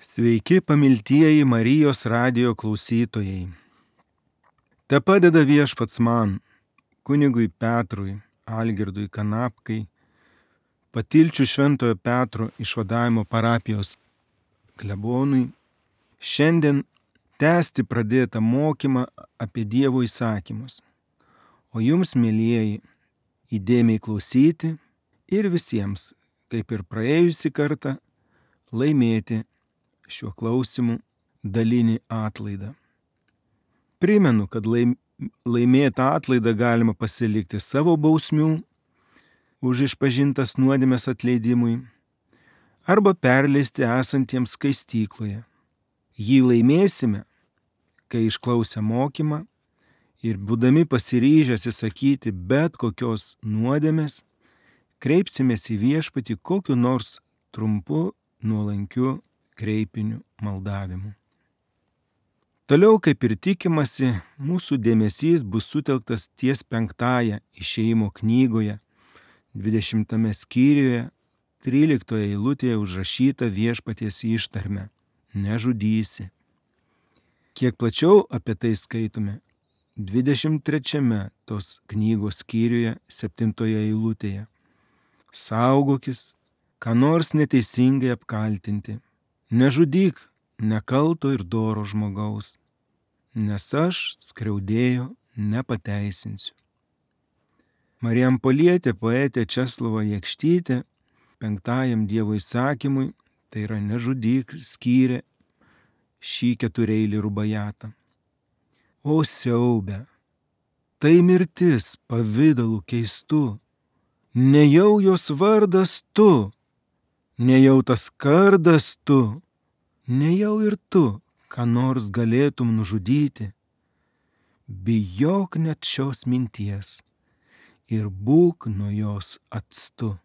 Sveiki, pamiltieji Marijos radijo klausytojai. Te padeda Viešpats man, kunigui Petrui, Algirdui Kanapkai, Patilčių Šventojo Petro išvadavimo parapijos klebonui, šiandien tęsti pradėtą mokymą apie Dievo įsakymus. O jums, mielieji, įdėmiai klausyti ir visiems, kaip ir praėjusį kartą, laimėti šiuo klausimu dalinį atlaidą. Primenu, kad laimėtą atlaidą galima pasilikti savo bausmių už išpažintas nuodėmes atleidimui arba perleisti esantiems skaistykloje. Jį laimėsime, kai išklausę mokymą ir būdami pasiryžę atsisakyti bet kokios nuodėmės, kreipsimės į Viešpatį kokiu nors trumpu, nuolankiu kreipiniu maldavimu. Toliau, kaip ir tikimasi, mūsų dėmesys bus sutelktas ties 5 Išėjimo knygoje, 20 skyriuje, 13 eilutėje užrašyta Viešpaties ištarme – nežudysi. Kiek plačiau apie tai skaitome 23 tos knygos skyriuje, 7 eilutėje. Saugokis, ką nors neteisingai apkaltinti. Nežudyk nekalto ir doro žmogaus, nes aš skriaudėjo nepateisinsiu. Marijampolietė poetė Česlova Jakštytė 5 Dievo įsakymui, tai yra nežudyk, skyrė šį 4-eilį rubajatą. O siaube, tai mirtis pavidalu keistu, nejau jos vardas tu, nejau tas kardas tu, nejau ir tu, ką nors galėtum nužudyti. Bijok net šios minties ir būk nuo jos atstu.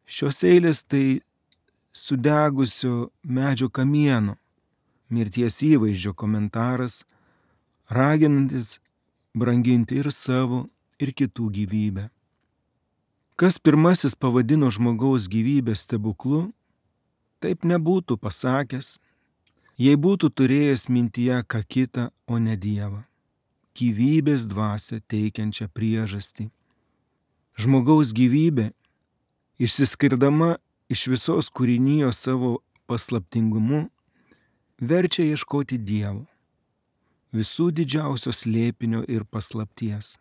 Šios eilės tai sudegusio medžio kamieno, mirties įvaizdžio komentaras, raginantis branginti ir savo, ir kitų gyvybę. Kas pirmasis pavadino žmogaus gyvybę stebuklu, taip nebūtų pasakęs, jei būtų turėjęs mintyje ką kitą, o ne Dievą, gyvybės dvasią teikiančią priežastį. Žmogaus gyvybė, išsiskirdama iš visos kūrinijos savo paslaptingumu, verčia ieškoti Dievo, visų didžiausios slėpinio ir paslapties.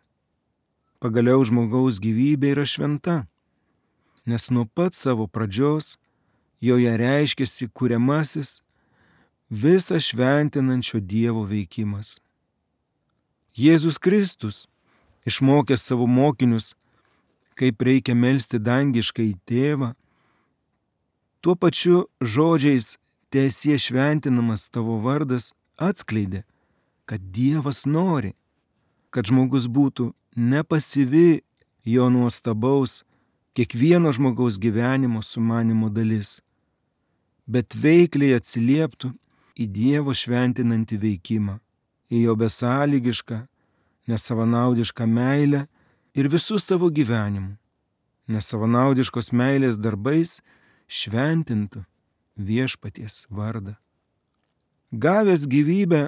Pagaliau žmogaus gyvybė yra šventa, nes nuo pat savo pradžios joje reiškiasi kuriamasis, visą šventinančio Dievo veikimas. Jėzus Kristus, išmokęs savo mokinius, kaip reikia melsti dangiškąjį Tėvą, tuo pačiu žodžiais teesie šventinamas tavo vardas atskleidė, kad Dievas nori, kad žmogus būtų nepasyvi jo nuostabaus kiekvieno žmogaus gyvenimo sumanimo dalis, bet veikliai atsilieptų į Dievo šventinantį veikimą, į jo besąlygišką, nesavanaudišką meilę ir visų savo gyvenimų, nesavanaudiškos meilės darbais šventintų Viešpaties vardą. Gavęs gyvybę,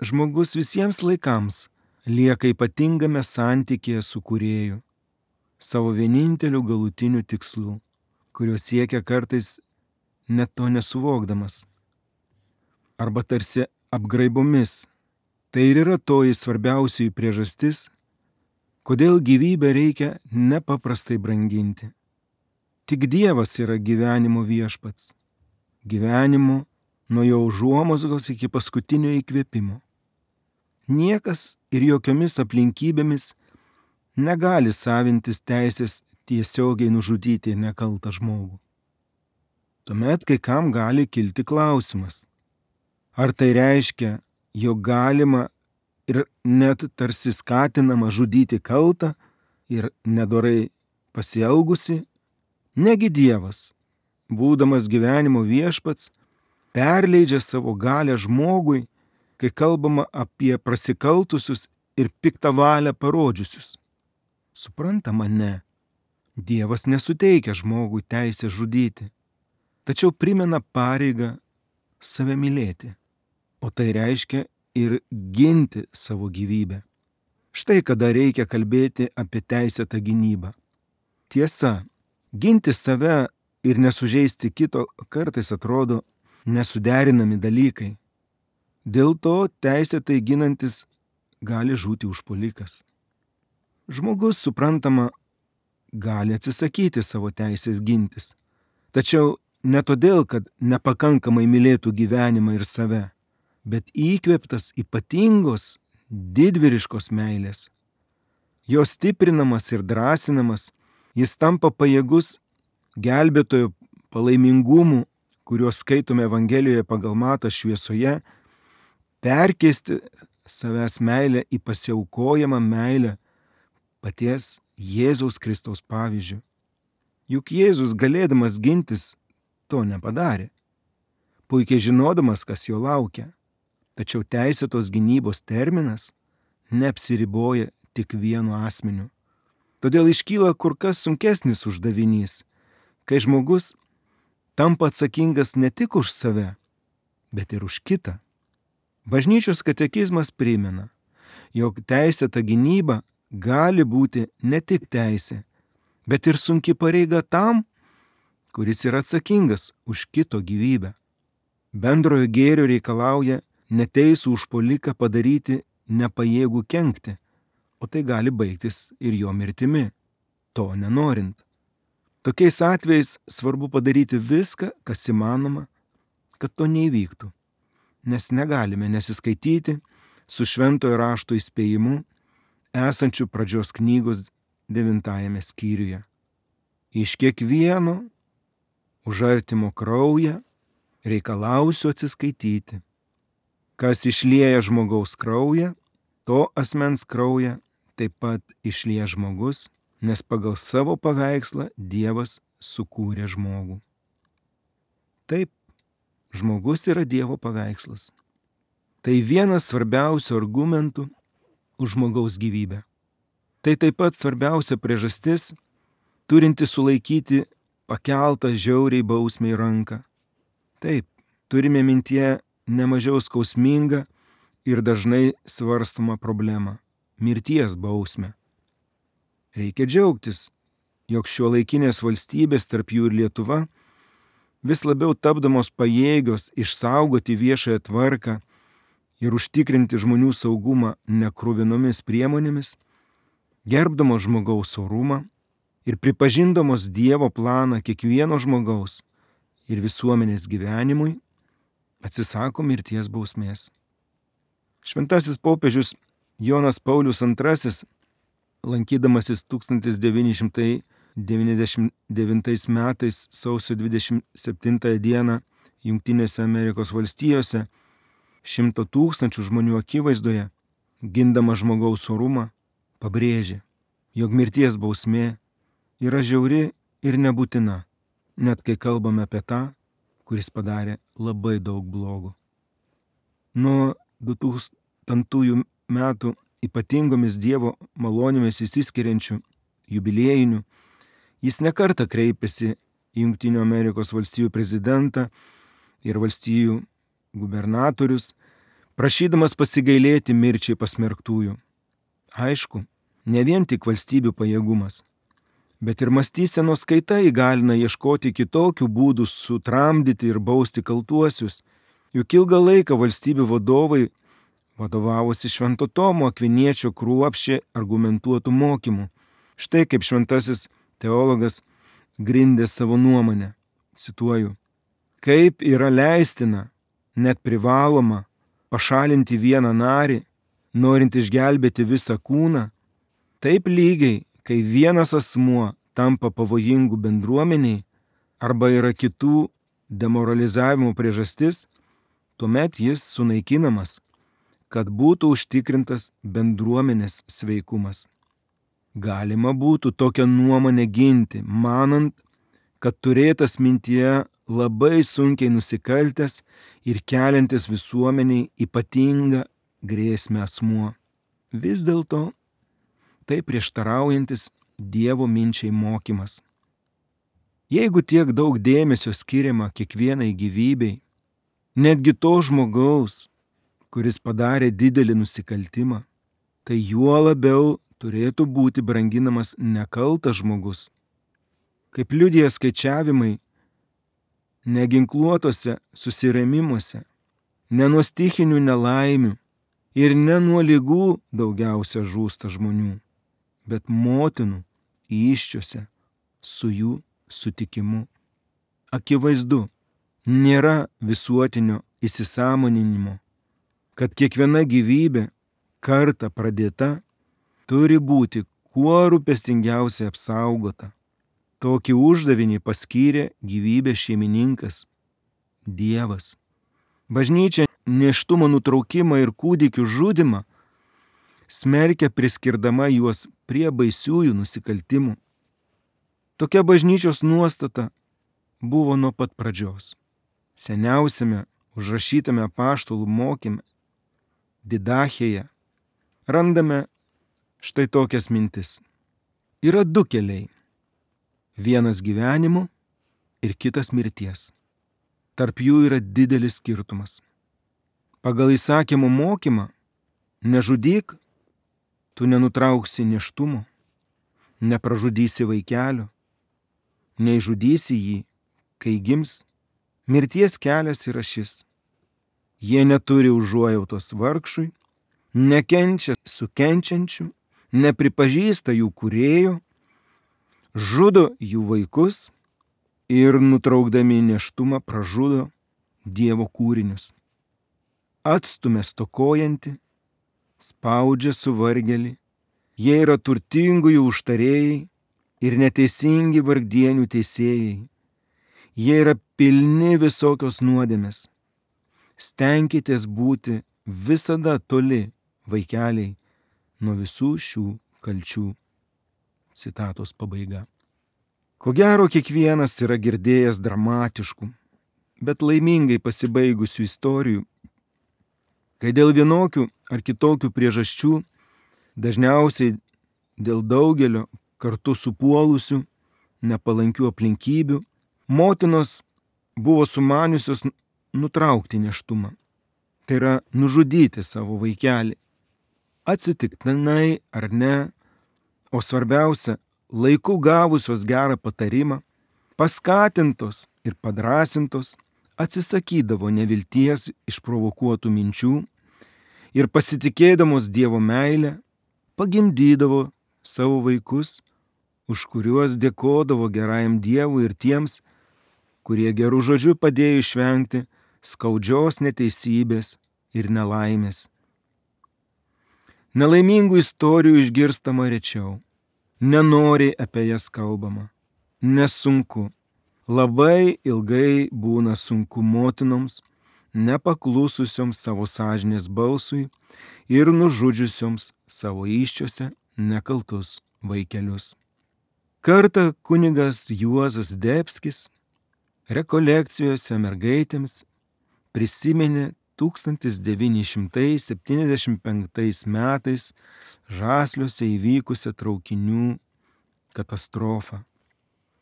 žmogus visiems laikams lieka ypatingame santykėje su Kūrėju, savo vieninteliu galutiniu tikslu, kurio siekia kartais net to nesuvokdamas. Arba tarsi apgraibomis. Tai ir yra toji svarbiausioji priežastis, kodėl gyvybę reikia nepaprastai branginti. Tik Dievas yra gyvenimo viešpats. Gyvenimo nuo jo užuomazgos iki paskutinio įkvėpimo. Niekas ir jokiomis aplinkybėmis negali savintis teisės tiesiogiai nužudyti nekaltą žmogų. Tuomet kai kam gali kilti klausimas, ar tai reiškia, jog galima ir net tarsi skatinama žudyti kaltą ir nedorai pasielgusi? Negi Dievas, būdamas gyvenimo viešpats, perleidžia savo galią žmogui, kai kalbama apie prasikaltusius ir piktą valią parodžiusius. Suprantama, ne. Dievas nesuteikia žmogui teisę žudyti, tačiau primena pareigą save mylėti, o tai reiškia ir ginti savo gyvybę. Štai kada reikia kalbėti apie teisėtą gynybą. Tiesa, ginti save ir nesužeisti kito kartais atrodo nesuderinami dalykai. Dėl to teisėtai ginantis gali žūti užpuolikas. Žmogus, suprantama, gali atsisakyti savo teisės gintis. Tačiau ne todėl, kad nepakankamai mylėtų gyvenimą ir save, bet įkvėptas ypatingos, didvyriškos meilės. Jo stiprinamas ir drąsinamas, jis tampa pajėgus gelbėtojo palaimingumų, kuriuos skaitome Evangelijoje pagal Matą šviesoje, perkeisti savęs meilę į pasiaukojamą meilę paties Jėzaus Kristaus pavyzdžiu. Juk Jėzus, galėdamas gintis, to nepadarė, puikiai žinodamas, kas jo laukia. Tačiau teisėtos gynybos terminas neapsiriboja tik vienu asmeniu. Todėl iškyla kur kas sunkesnis uždavinys, kai žmogus tampa atsakingas ne tik už save, bet ir už kitą. Bažnyčios katekizmas primena, jog teisėta gynyba gali būti ne tik teisė, bet ir sunki pareiga tam, kuris yra atsakingas už kito gyvybę. Bendrojo gėrio reikalauja neteisų užpuoliką padaryti nepajėgų kenkti, o tai gali baigtis ir jo mirtimi, to nenorint. Tokiais atvejais svarbu padaryti viską, kas įmanoma, kad to neįvyktų, nes negalime nesiskaityti su šventojo rašto įspėjimu esančiu pradžios knygos 9 skyriuje. Iš kiekvieno už artimo kraują reikalausiu atsiskaityti. Kas išlieja žmogaus kraują, to asmens kraują taip pat išlieja žmogus, nes pagal savo paveikslą Dievas sukūrė žmogų. Taip, žmogus yra Dievo paveikslas. Tai vienas svarbiausių argumentų už žmogaus gyvybę. Tai taip pat svarbiausia priežastis, turinti sulaikyti pakeltą žiauriai bausmei ranką. Taip, turime mintyje nemažiau skausmingą ir dažnai svarstomą problemą – mirties bausmę. Reikia džiaugtis, jog šiuolaikinės valstybės, tarp jų ir Lietuva, vis labiau tapdamos pajėgios išsaugoti viešąją tvarką ir užtikrinti žmonių saugumą nekruvinomis priemonėmis, gerbdamos žmogaus orumą ir pripažindamos Dievo planą kiekvieno žmogaus ir visuomenės gyvenimui, atsisako mirties bausmės. Šventasis popiežius Jonas Paulius II, lankydamasis 1999 metais sausio 27 dieną Jungtinėse Amerikos valstijose 100 000 žmonių akivaizdoje, gindama žmogaus orumą, pabrėžė, jog mirties bausmė yra žiauri ir nebūtina, net kai kalbame apie tą, kuris padarė labai daug blogo. Nuo 2000 metų ypatingomis Dievo malonėmis įsiskiriančių jubiliejinių, jis nekartą kreipėsi į Jungtinių Amerikos valstijų prezidentą ir valstijų gubernatorius, prašydamas pasigailėti mirčiai pasmerktųjų. Aišku, ne vien tik valstybių pajėgumas, bet ir mąstysenos kaita įgalina ieškoti kitokių būdų sutramdyti ir bausti kaltuosius, juk ilgą laiką valstybių vadovai vadovavosi Švento Tomo Akviniečio kruopščiai argumentuotų mokymų. Štai kaip šventasis teologas grindė savo nuomonę. Cituoju, kaip yra leistina, net privaloma, pašalinti vieną narį, norint išgelbėti visą kūną, taip lygiai, kai vienas asmuo tampa pavojingų bendruomeniai arba yra kitų demoralizavimo priežastis, tuomet jis sunaikinamas, kad būtų užtikrintas bendruomenės sveikumas. Galima būtų tokią nuomonę ginti, manant, kad turėtas mintyje labai sunkiai nusikaltęs ir keliantis visuomeniai ypatingą grėsmę asmuo. Vis dėlto tai prieštaraujantis Dievo minčiai mokymas. Jeigu tiek daug dėmesio skiriama kiekvienai gyvybei, netgi to žmogaus, kuris padarė didelį nusikaltimą, tai juo labiau turėtų būti branginamas nekaltas žmogus. Kaip liudija skaičiavimai, neginkluotose susirėmimuose, ne nuo stichinių nelaimių ir ne nuo ligų daugiausia žūsta žmonių, bet motinų įsčiose su jų sutikimu. Akivaizdu, nėra visuotinio įsisąmoninimo, kad kiekviena gyvybė kartą pradėta turi būti kuo rūpestingiausiai apsaugota. Tokį uždavinį paskyrė gyvybės šeimininkas – Dievas. Bažnyčia nėštumo nutraukimą ir kūdikių žudymą smerkia priskirdama juos prie baisiųjų nusikaltimų. Tokia bažnyčios nuostata buvo nuo pat pradžios. Seniausiame užrašytame apaštalų mokyme Didachėje randame štai tokias mintis. Yra du keliai. Vienas gyvenimo ir kitas mirties. Tarp jų yra didelis skirtumas. Pagal įsakymų mokymą nežudyk, tu nenutrauksi nėštumo, nepražudysi vaikelio, neižudysi jį, kai gims. Mirties kelias yra šis. Jie neturi užuojautos vargšui, nekenčia su kenčiančiu, nepripažįsta jų kūrėjo, žudo jų vaikus ir nutraukdami nėštumą pražudo Dievo kūrinius. Atstumia stokojantį, spaudžia suvargėlį, jie yra turtingųjų užtarėjai ir neteisingi vargdienių teisėjai. Jie yra pilni visokios nuodėmės. Stenkitės būti visada toli, vaikeliai, nuo visų šių kalčių. Citatos pabaiga. Ko gero, kiekvienas yra girdėjęs dramatiškų, bet laimingai pasibaigusių istorijų, kai dėl vienokių ar kitokių priežasčių, dažniausiai dėl daugelio kartu supuolusių nepalankių aplinkybių, motinos buvo sumaniusios nutraukti nėštumą. Tai yra nužudyti savo vaikelį. Atsitiktinai ar ne, o svarbiausia, laiku gavusios gerą patarimą, paskatintos ir padrasintos, atsisakydavo nevilties išprovokuotų minčių ir pasitikėdamos Dievo meilę, pagimdydavo savo vaikus, už kuriuos dėkodavo gerajam Dievui ir tiems, kurie gerų žodžių padėjo išvengti skaudžios neteisybės ir nelaimės. Nelaimingų istorijų išgirstama rečiau, nenoriai apie jas kalbama, nesunku, labai ilgai būna sunku motinoms, nepaklususioms savo sąžinės balsui ir nužudžiusioms savo įsčiose nekaltus vaikelius. Kartą kunigas Juozas Zdebskis rekolekcijose mergaitėms prisiminė 1975 metais Žasliuose įvykusią traukinių katastrofą.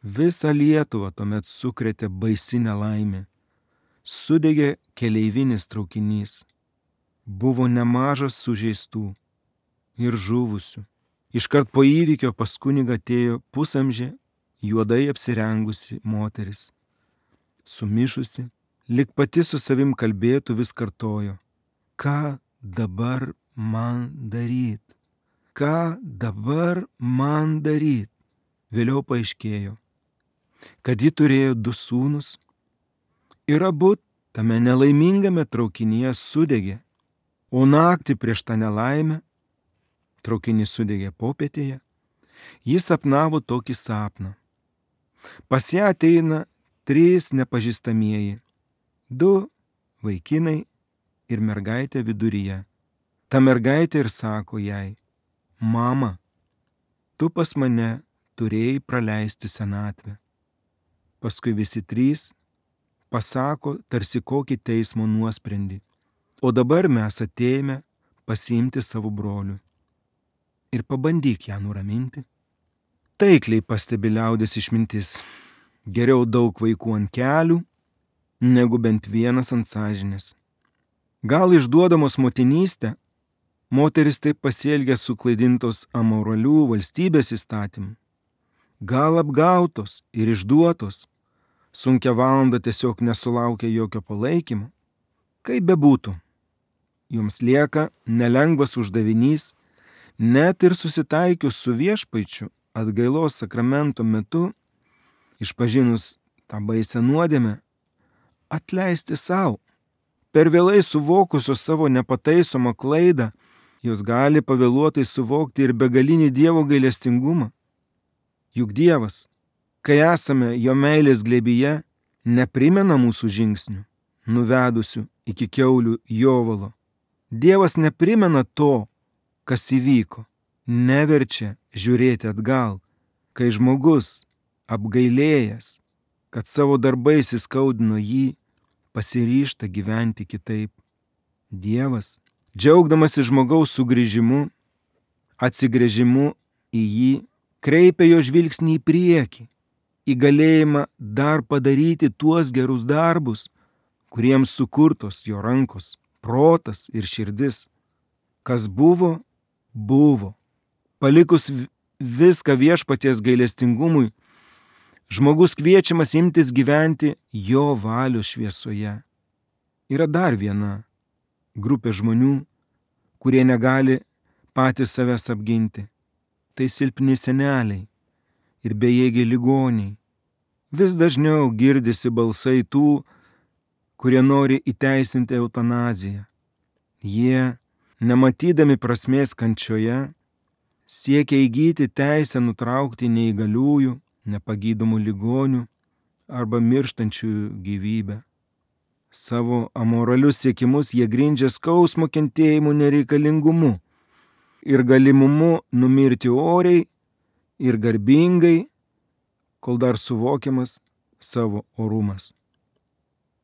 Visą Lietuvą tuomet sukrėtė baisi nelaimė. Sudegė keleivinis traukinys. Buvo nemažas sužeistų ir žuvusių. Iškart po įvykio pas kunigą atėjo pusamžė, juodai apsirengusi moteris. Sumišusi, lyg pati su savim kalbėtų, vis kartojo: ką dabar man daryt? Ką dabar man daryt? Vėliau paaiškėjo, kad ji turėjo 2 sūnus ir abu tame nelaimingame traukinyje sudegė, o naktį prieš tą nelaimę, traukinys sudegė popietėje, jis sapnavo tokį sapną. Pas ją ateina 3 nepažįstamieji, 2 vaikinai ir mergaitė viduryje. Ta mergaitė ir sako jai: mama, tu pas mane turėjai praleisti senatvę. Paskui visi 3 pasako tarsi kokį teismo nuosprendį. O dabar mes atėjome pasiimti savo brolių. Ir pabandyk ją nuraminti. Taikliai pastebi liaudės išmintis. Geriau daug vaikų ant kelių, negu bent vienas ant sąžinės. Gal išduodamos motinystę, moteris taip pasielgia suklaidintos amoralių valstybės įstatymų. Gal apgautos ir išduotos, sunkia valanda tiesiog nesulaukia jokio palaikymo. Kaip bebūtų, joms lieka nelengvas uždavinys, net ir susitaikius su viešpaičiu atgailos sakramento metu, išpažinus tą baisę nuodėmę, atleisti savo. Per vėlai suvokusios savo nepataisomą klaidą, jos gali pavėluotai suvokti ir begalinį Dievo gailestingumą. Juk Dievas, kai esame jo meilės glėbyje, neprimena mūsų žingsnių, nuvedusių iki kiaulių jovalo. Dievas neprimena to, kas įvyko, neverčia žiūrėti atgal, kai žmogus, apgailėjęs, kad savo darbais įskaudino jį, pasiryžta gyventi kitaip. Dievas, džiaugdamasi žmogaus sugrįžimu, atsigręžimu į jį, kreipia jo žvilgsnį į priekį, į galėjimą dar padaryti tuos gerus darbus, kuriems sukurtos jo rankos, protas ir širdis. Kas buvo, buvo. Palikus viską viešpaties gailestingumui, žmogus kviečiamas imtis gyventi jo valios šviesoje. Yra dar viena grupė žmonių, kurie negali patys savęs apginti. Tai silpni seneliai ir bejėgiai ligoniai. Vis dažniau girdisi balsai tų, kurie nori įteisinti eutanaziją. Jie, nematydami prasmės kančioje, siekia įgyti teisę nutraukti neįgaliųjų, nepagydomų ligonių arba mirštančiųjų gyvybę. Savo amoralius siekimus jie grindžia skausmo kentėjimu nereikalingumu ir galimumu numirti oriai ir garbingai, kol dar suvokiamas savo orumas.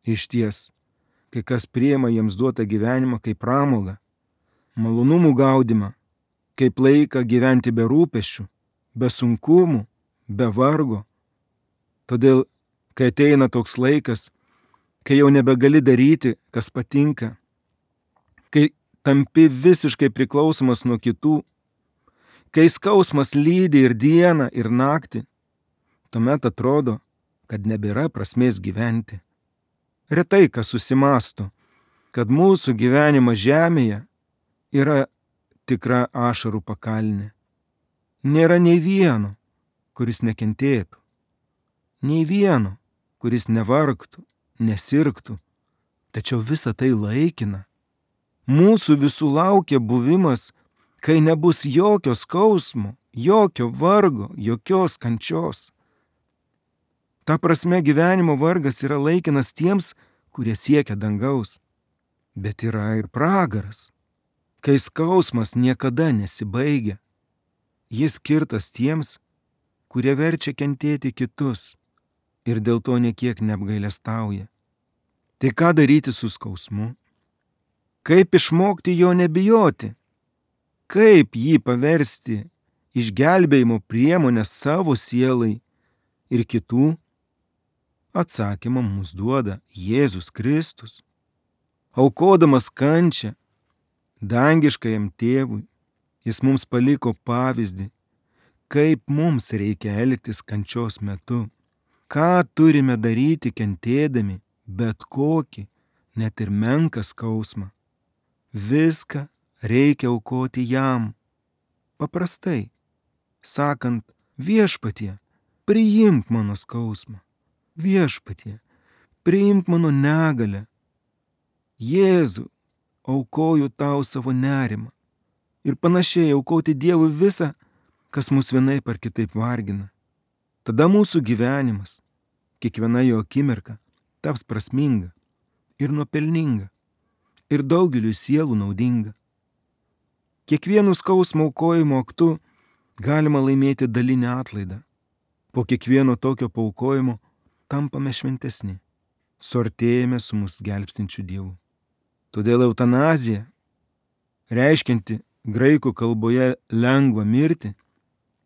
Išties, kai kas priima jiems duotą gyvenimą kaip pramogą, malonumų gaudimą, kaip laiką gyventi be rūpesčių, be sunkumų, be vargo. Todėl, kai ateina toks laikas, kai jau nebegali daryti, kas patinka, kai tampi visiškai priklausomas nuo kitų, kai skausmas lydi ir dieną, ir naktį, tuomet atrodo, kad nebėra prasmės gyventi. Retai kas susimąsto, kad mūsų gyvenimas žemėje yra tikra ašarų pakalnė. Nėra nei vieno, kuris nekentėtų. Nei vieno, kuris nevargtų, nesirgtų. Tačiau visa tai laikina. Mūsų visų laukia buvimas, kai nebus jokio skausmo, jokio vargo, jokios kančios. Ta prasme gyvenimo vargas yra laikinas tiems, kurie siekia dangaus. Bet yra ir pragaras, kai skausmas niekada nesibaigia. Jis skirtas tiems, kurie verčia kentėti kitus ir dėl to niekiek neapgailestauja. Tai ką daryti su skausmu? Kaip išmokti jo nebijoti? Kaip jį paversti išgelbėjimo priemonę savo sielai ir kitų? Atsakymą mums duoda Jėzus Kristus. Aukodamas kančią dangiškajam tėvui, jis mums paliko pavyzdį, kaip mums reikia elgtis kančios metu, ką turime daryti kentėdami bet kokį, net ir menką skausmą. Viską reikia aukoti jam. Paprastai, sakant, viešpatie, priimk mano skausmą. Viešpatie, priimk mano negalę. Jėzau, aukoju tau savo nerimą. Ir panašiai aukoti Dievui visą, kas mus vienaip ar kitaip vargina. Tada mūsų gyvenimas, kiekviena jo akimirka, taps prasminga ir nuopelninga ir daugeliui sielų naudinga. Kiekvienu skausmo aukojimo aktu galima laimėti dalinį atlaidą. Po kiekvieno tokio paaukojimo tampame šventesni, suartėjame su mus gelbstinčiu Dievu. Todėl eutanazija, reiškianti graikų kalboje lengvą mirtį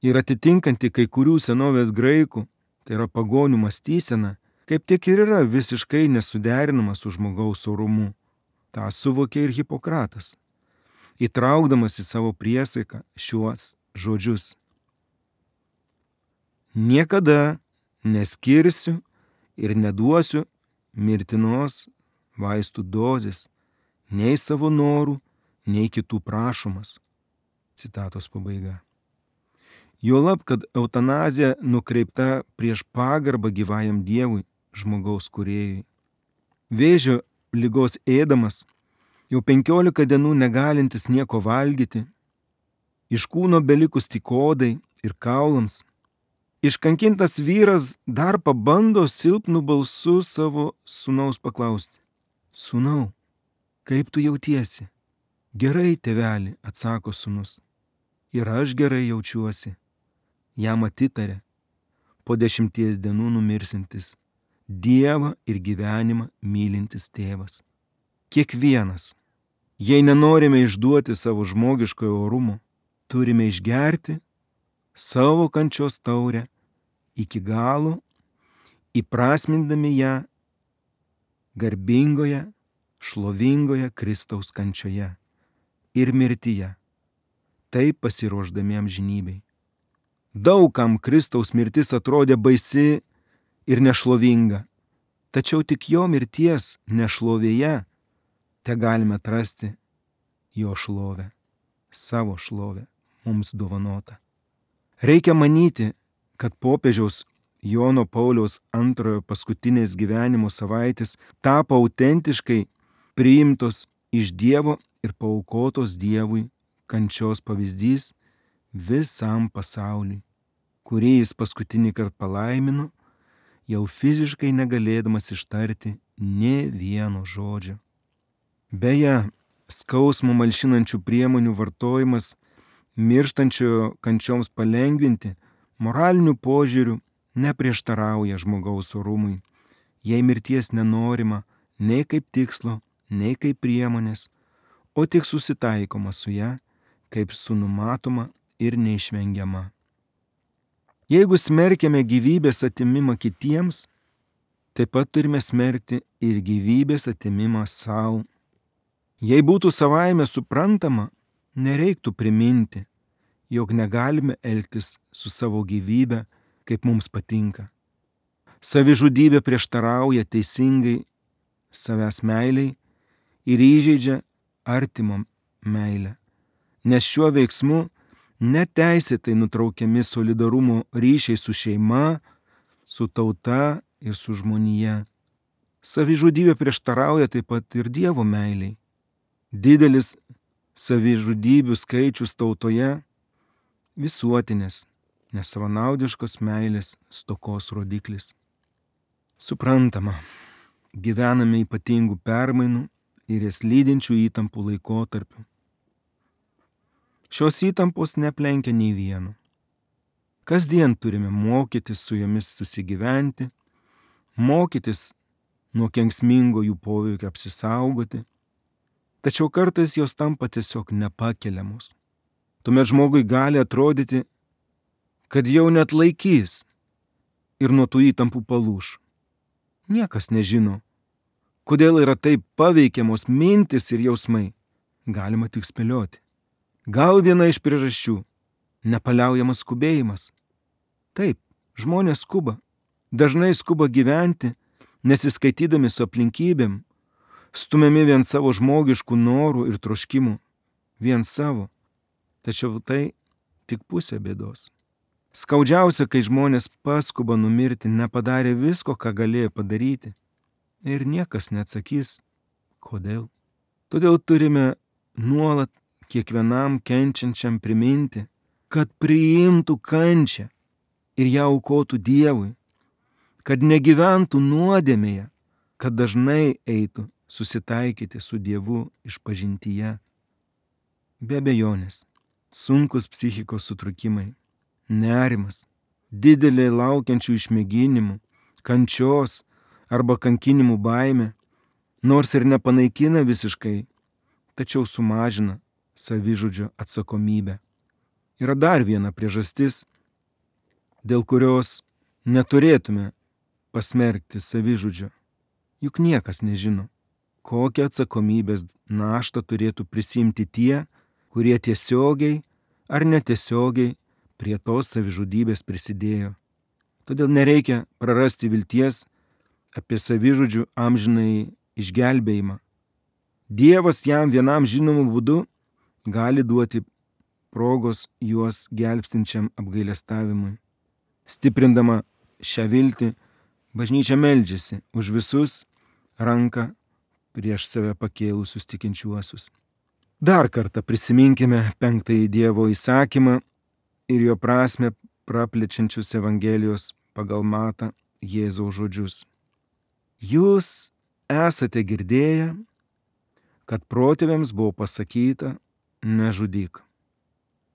ir atitinkanti kai kurių senovės graikų, tai yra pagonių mąstyseną, kaip tik ir yra visiškai nesuderinamas su žmogaus orumu. Ta suvokė ir Hipokratas, įtraukdamas į savo priesaiką šiuos žodžius. Niekada neskirsiu ir neduosiu mirtinos vaistų dozės, nei savo norų, nei kitų prašomas. Citatos pabaiga. Juolab, kad eutanazija nukreipta prieš pagarbą gyvajam Dievui, žmogaus kūrėjui. Vėžio ligos ėdamas, jau 15 dienų negalintis nieko valgyti, iš kūno belikus tik odai ir kaulams, iškankintas vyras dar pabando silpnu balsu savo sūnaus paklausti. Sūnau, kaip tu jautiesi? Gerai, tėveli, atsako sūnus. Ir aš gerai jaučiuosi. Jam atitarė, po 10 dienų numirsintis, Dievą ir gyvenimą mylintis tėvas. Kiekvienas, jei nenorime išduoti savo žmogiškojo orumo, turime išgerti savo kančios taurę iki galo, įprasmindami ją garbingoje, šlovingoje Kristaus kančioje ir mirtyje, taip pasiruošdami amžinybei. Daugam Kristaus mirtis atrodė baisi ir nešlovinga, tačiau tik jo mirties nešlovėje te galime atrasti jo šlovę, savo šlovę mums dovanota. Reikia manyti, kad popiežiaus Jono Pauliaus II paskutinės gyvenimo savaitės tapo autentiškai priimtos iš Dievo ir paaukotos Dievui kančios pavyzdys visam pasauliui, kurį jis paskutinį kartą palaimino, jau fiziškai negalėdamas ištarti nė vieno žodžio. Beje, skausmo malšinančių priemonių vartojimas mirštančiojo kančioms palengvinti moraliniu požiūriu neprieštarauja žmogaus orumui, jei mirties nenorima nei kaip tikslo, nei kaip priemonės, o tik susitaikoma su ja, kaip su numatoma ir neišvengiama. Jeigu smerkiame gyvybės atimimą kitiems, taip pat turime smerkti ir gyvybės atimimą savo. Jei būtų savaime suprantama, nereiktų priminti, jog negalime elgtis su savo gyvybe, kaip mums patinka. Savižudybė prieštarauja teisingai savęs meiliai ir įžeidžia artimo meilę, nes šiuo veiksmu neteisėtai nutraukiami solidarumo ryšiai su šeima, su tauta ir su žmonija. Savižudybė prieštarauja taip pat ir Dievo meiliai. Didelis savižudybių skaičius tautoje visuotinės, nesavanaudiškos meilės stokos rodiklis. Suprantama, gyvename ypatingų permainų ir jas lydinčių įtampų laikotarpiu. Šios įtampos neaplenkia nei vieno. Kasdien turime mokytis su jomis susigyventi, mokytis nuo kenksmingo jų poveikio apsisaugoti, tačiau kartais jos tampa tiesiog nepakeliamos. Tuomet žmogui gali atrodyti, kad jau net laikys ir nuo tų įtampų palūš. Niekas nežino, kodėl yra taip paveikiamos mintis ir jausmai. Galima tik spėlioti. Gal viena iš priežasčių – nepaliaujamas skubėjimas. Taip, žmonės skuba. Dažnai skuba gyventi, nesiskaitydami su aplinkybėm, stumiami vien savo žmogiškų norų ir troškimų. Vien savo. Tačiau tai tik pusė bėdos. Skaudžiausia, kai žmonės paskuba numirti, nepadarė visko, ką galėjo padaryti. Ir niekas neatsakys, kodėl. Todėl turime nuolat kiekvienam kenčiančiam priminti, kad priimtų kančią ir ją aukotų Dievui, kad negyventų nuodėmėje, kad dažnai eitų susitaikyti su Dievu išpažintyje. Be abejonės, sunkus psichikos sutrikimai, nerimas, didelė laukiančių išmėginimų, kančios arba kankinimų baimė, nors ir nepanaikina visiškai, tačiau sumažina savižudžio atsakomybę. Yra dar viena priežastis, dėl kurios neturėtume pasmerkti savižudžio. Juk niekas nežino, kokią atsakomybės naštą turėtų prisimti tie, kurie tiesiogiai ar netiesiogiai prie tos savižudybės prisidėjo. Todėl nereikia prarasti vilties apie savižudžių amžinai išgelbėjimą. Dievas jam vienam žinomu būdu gali duoti progos juos gelbstinčiam apgailestavimui. Stiprindama šią viltį, bažnyčia meldžiasi už visus ranką prieš save pakėlusius tikinčiuosius. Dar kartą prisiminkime 5 Dievo įsakymą ir jo prasme praplečiančius Evangelijos pagal Matą Jėzaus žodžius. Jūs esate girdėję, kad protėviams buvo pasakyta, nežudyk.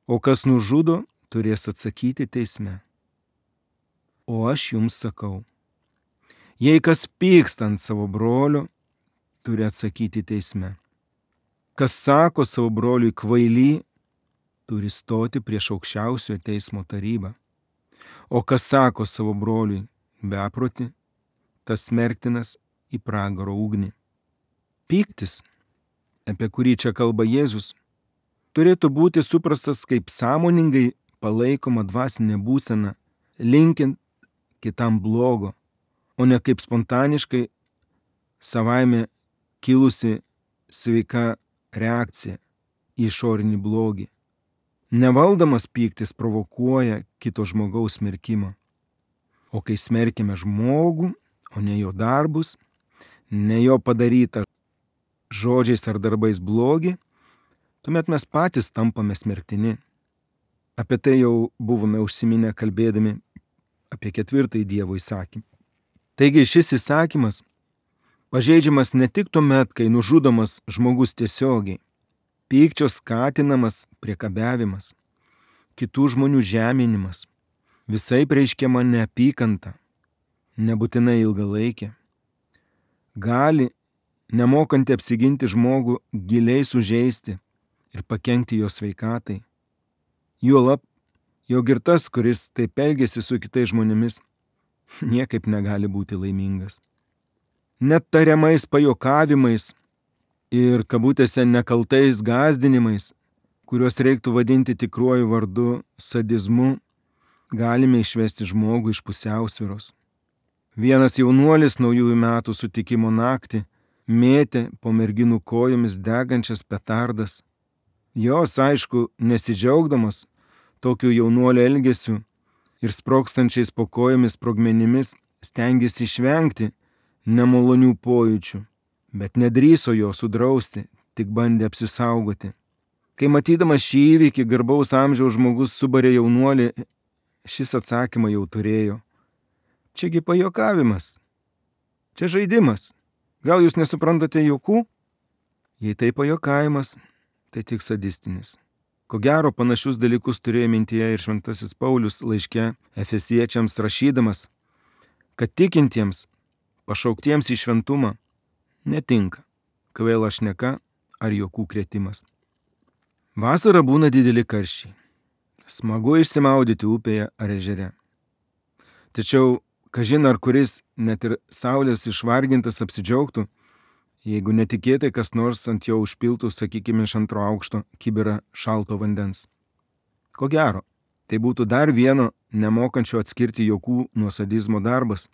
O kas nužudo, turės atsakyti teisme. O aš jums sakau, jei kas pyksta ant savo brolio, turi atsakyti teisme. Kas sako savo broliui kvaily, turi stoti prieš aukščiausiojo teismo tarybą. O kas sako savo broliui beproti, tas smerktinas į pragaro ugnį. Pyktis, apie kurį čia kalba Jėzus, turėtų būti suprastas kaip sąmoningai palaikoma dvasinė būsena, linkint kitam blogo, o ne kaip spontaniškai savaime kilusi sveika reakcija į išorinį blogį. Nevaldomas pyktis provokuoja kito žmogaus smerkimą. O kai smerkime žmogų, o ne jo darbus, ne jo padarytą žodžiais ar darbais blogį, tuomet mes patys tampame smerktini. Apie tai jau buvome užsiminę kalbėdami apie 4 Dievo įsakymą. Taigi šis įsakymas pažeidžiamas ne tik tuomet, kai nužudomas žmogus tiesiogiai, pykčio skatinamas priekabiavimas, kitų žmonių žeminimas, visai reiškiama neapykanta, nebūtinai ilgalaikė, gali, nemokanti apsiginti žmogų, giliai sužeisti ir pakenkti jo sveikatai. Juolab, jog ir tas, kuris taip elgiasi su kitais žmonėmis, niekaip negali būti laimingas. Net tariamais pajokavimais ir kabutėse nekaltais gąsdinimais, kuriuos reiktų vadinti tikruoju vardu sadizmu, galime išvesti žmogų iš pusiausvyros. Vienas jaunuolis naujųjų metų sutikimo naktį mėtė po merginų kojomis degančias petardas. Jos, aišku, nesidžiaugdamas tokiu jaunuolio elgesiu ir sprogstančiais po kojomis sprogmenimis, stengėsi išvengti nemalonių pojūčių, bet nedrįso jo sudrausti, tik bandė apsisaugoti. Kai matydamas šį įvykį garbaus amžiaus žmogus subarė jaunuolį, šis atsakymą jau turėjo. Čiagi pajuokavimas. Čia žaidimas. Gal jūs nesuprantate juokų? Jei tai pajuokavimas, tai tik sadistinis. Ko gero panašius dalykus turėjo mintyje ir šventasis Paulius laiške Efesiečiams rašydamas, kad tikintiems, pašauktiems į šventumą, netinka kvaila šneka ar juokų krėtimas. Vasarą būna dideli karščiai. Smagu išsimaudyti upėje ar ežere. Tačiau, kažin ar kuris net ir saulės išvargintas apsidžiaugtų, jeigu netikėtai kas nors ant jo užpiltų, sakykime, iš 2 aukšto kibirą šalto vandens. Ko gero, tai būtų dar vieno nemokančio atskirti juokų nuo sadizmo darbas,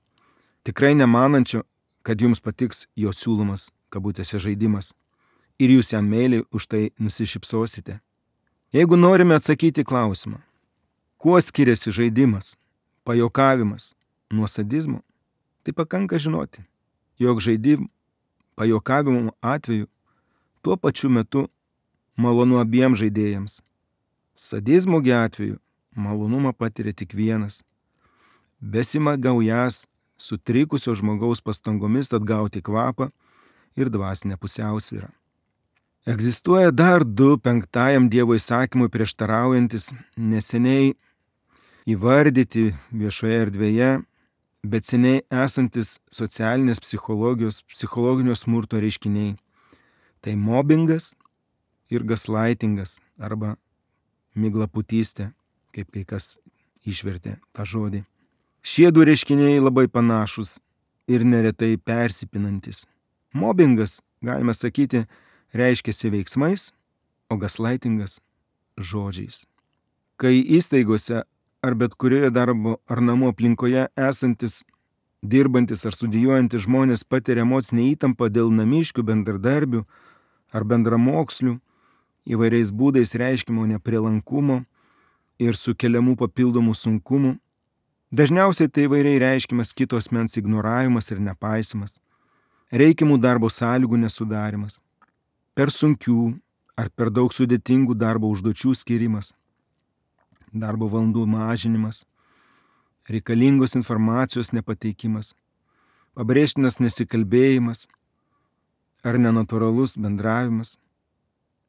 tikrai nemanančio, kad jums patiks jo siūlomas kabutėse žaidimas ir jūs jam meiliai už tai nusišypsosite. Jeigu norime atsakyti klausimą, kuo skiriasi žaidimas, pajuokavimas nuo sadizmo, tai pakanka žinoti, jog žaidimų, pajuokavimo atveju tuo pačiu metu malonu abiem žaidėjams. Sadizmo atveju malonumą patiria tik vienas, besimagaujas sutrikusio žmogaus pastangomis atgauti kvapą ir dvasinę pusiausvyrą. Egzistuoja dar 2 5 Dievo įsakymui prieštaraujantis, neseniai įvardyti viešoje erdvėje, bet seniai esantis socialinės psichologijos, psichologinio smurto reiškiniai. Tai mobbingas ir gaslightingas arba miglaputystė, kaip kai kas išvertė tą žodį. Šie du reiškiniai labai panašus ir neretai persipinantis. Mobbingas, galime sakyti, reiškiasi veiksmais, o gaslightingas žodžiais. Kai įstaigose ar bet kurioje darbo ar namų aplinkoje esantis, dirbantis ar studijuojantis žmonės patiria emocinę įtampą dėl namiškių, bendradarbių ar bendramokslių, įvairiais būdais reiškimo neprielankumo ir sukeliamų papildomų sunkumų, dažniausiai tai įvairiai reiškimas kito asmens ignoravimas ir nepaisimas, reikiamų darbo sąlygų nesudarimas, per sunkių ar per daug sudėtingų darbo užduočių skirimas, darbo valandų mažinimas, reikalingos informacijos nepateikimas, pabrėžtinas nesikalbėjimas ar nenatūralus bendravimas.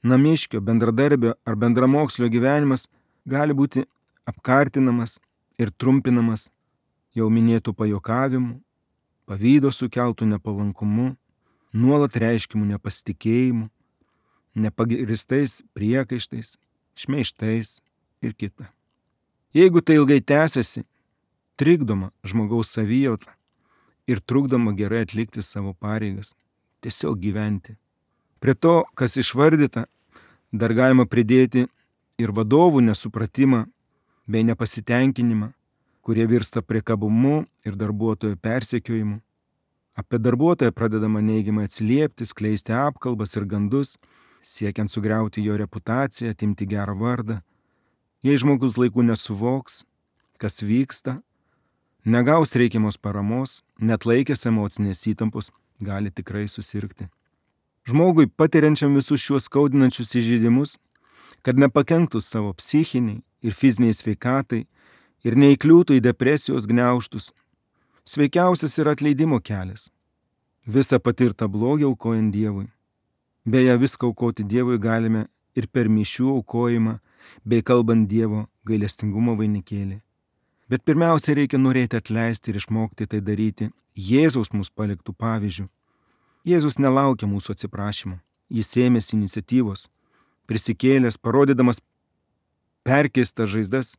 Namiškio, bendradarbio ar bendramokslio gyvenimas gali būti apkartinamas ir trumpinamas jau minėtų pajokavimų, pavydo sukeltų nepalankumu, nuolat reiškimų nepasitikėjimu, nepagristais priekaištais, šmeižtais ir kita. Jeigu tai ilgai tęsiasi, trikdoma žmogaus savijauta ir trukdoma gerai atlikti savo pareigas, tiesiog gyventi. Prie to, kas išvardyta, dar galima pridėti ir vadovų nesupratimą bei nepasitenkinimą, kurie virsta priekabumu ir darbuotojo persekiojimu. Apie darbuotoją pradedama neigiamai atsiliepti, skleisti apkalbas ir gandus, siekiant sugriauti jo reputaciją, atimti gerą vardą. Jei žmogus laiku nesuvoks, kas vyksta, negaus reikiamos paramos, net laikęs emocinės įtampos, gali tikrai susirgti. Žmogui patiriančiam visus šiuos skaudinančius įžeidimus, kad nepakenktų savo psichiniai ir fiziniai sveikatai ir neįkliūtų į depresijos gniaužtus, sveikiausias yra atleidimo kelias. Visą patirtą blogį aukojant Dievui. Beje, viską aukoti Dievui galime ir per mišių aukojimą, bei kalbant Dievo gailestingumo vainikėlį. Bet pirmiausia, reikia norėti atleisti ir išmokti tai daryti Jėzaus mums paliktų pavyzdžių. Jėzus nelaukia mūsų atsiprašymo. Jis ėmėsi iniciatyvos, prisikėlęs, parodydamas perkeistas žaizdas,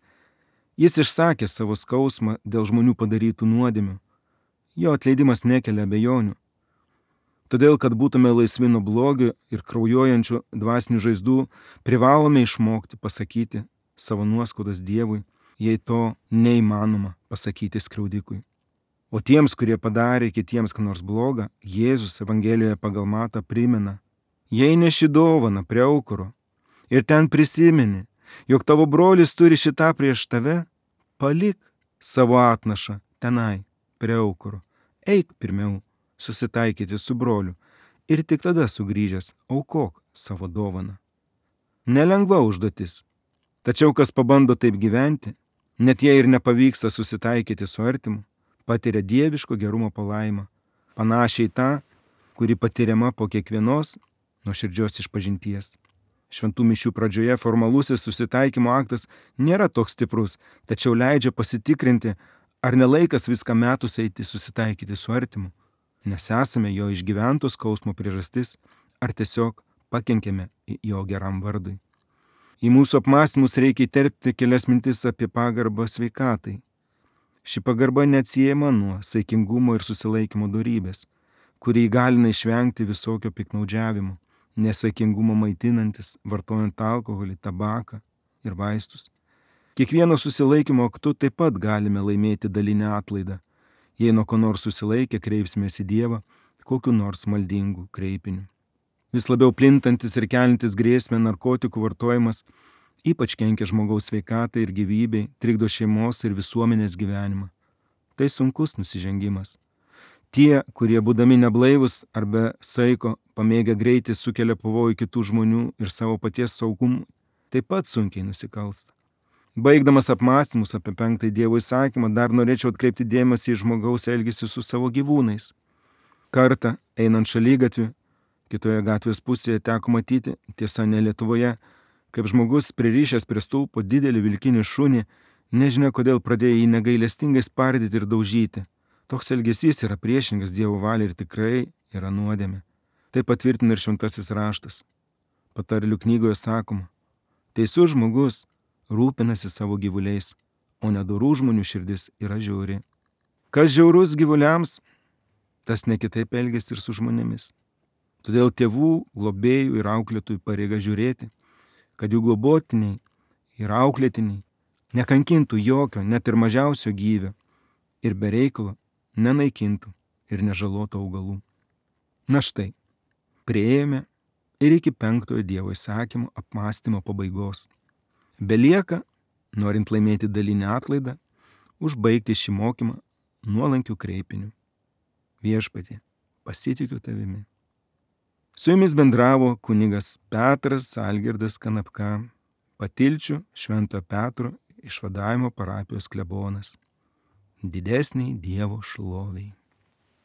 jis išsakė savo skausmą dėl žmonių padarytų nuodėmių. Jo atleidimas nekelia abejonių. Todėl, kad būtume laisvi nuo blogio ir kraujuojančių dvasinių žaizdų, privalome išmokti pasakyti savo nuoskaudas Dievui, jei to neįmanoma pasakyti skriaudikui. O tiems, kurie padarė kitiems ką nors blogą, Jėzus Evangelijoje pagal Matą primena: jei neši dovaną prie aukuro ir ten prisimeni, jog tavo brolis turi šitą prieš tave, palik savo atnašą tenai prie aukuro. Eik pirmiau susitaikyti su broliu ir tik tada sugrįžęs aukok savo dovaną. Nelengva užduotis, tačiau kas pabando taip gyventi, net jei ir nepavyksta susitaikyti su artimu, patiria dieviško gerumo palaimą, panašiai tą, kuri patiriama po kiekvienos nuoširdžios išpažinties. Šventų mišių pradžioje formalusis susitaikymo aktas nėra toks stiprus, tačiau leidžia pasitikrinti, ar nelaikas viską metus eiti susitaikyti su artimu, nes esame jo išgyventos skausmo priežastis, ar tiesiog pakenkėme jo geram vardui. Į mūsų apmąstymus reikia įterpti kelias mintis apie pagarbą sveikatai. Ši pagarba neatsiejama nuo saikingumo ir susilaikymo dorybės, kuri įgalina išvengti visokio piktnaudžiavimo, nesaikingumo maitinantis, vartojant alkoholį, tabaką ir vaistus. Kiekvieno susilaikymo aktu taip pat galime laimėti dalinę atlaidą, jei nuo ko nors susilaikę kreipsimės į Dievą kokiu nors maldingu kreipiniu. Vis labiau plintantis ir kelintis grėsmę narkotikų vartojimas ypač kenkia žmogaus sveikatai ir gyvybei, trikdo šeimos ir visuomenės gyvenimą. Tai sunkus nusižengimas. Tie, kurie būdami neblaivus ar be saiko pamėgę greitį sukelia pavojų kitų žmonių ir savo paties saugumui, taip pat sunkiai nusikalsta. Baigdamas apmąstymus apie 5 Dievo įsakymą, dar norėčiau atkreipti dėmesį į žmogaus elgesį su savo gyvūnais. Kartą, einant šaligatviu, kitoje gatvės pusėje teko matyti, tiesa ne Lietuvoje, kaip žmogus pririšęs prie stulpo didelį vilkinį šunį, nežinia kodėl pradėjo jį negailestingai spardyti ir daužyti. Toks elgesys yra priešingas Dievo valiai ir tikrai yra nuodėmė. Tai patvirtina ir šventasis raštas. Patarlių knygoje sakoma: teisus žmogus rūpinasi savo gyvuliais, o nedorų žmonių širdis yra žiauri. Kas žiaurus gyvuliams, tas ne kitaip elgiasi ir su žmonėmis. Todėl tėvų, globėjų ir auklėtojų pareiga žiūrėti, kad jų globotiniai ir auklėtiniai nekankintų jokio, net ir mažiausio gyvio ir be reikalo nenaikintų ir nežalotų augalų. Na štai, priėjome ir iki 5 Dievo įsakymo apmąstymo pabaigos. Belieka, norint laimėti dalinį atlaidą, užbaigti šį mokymą nuolankių kreipinių. Viešpatie, pasitikiu tavimi. Su jumis bendravo kunigas Petras Algirdas Kanapka, Patilčių Švento Petro išvadavimo parapijos klebonas. Didesniai Dievo šloviai.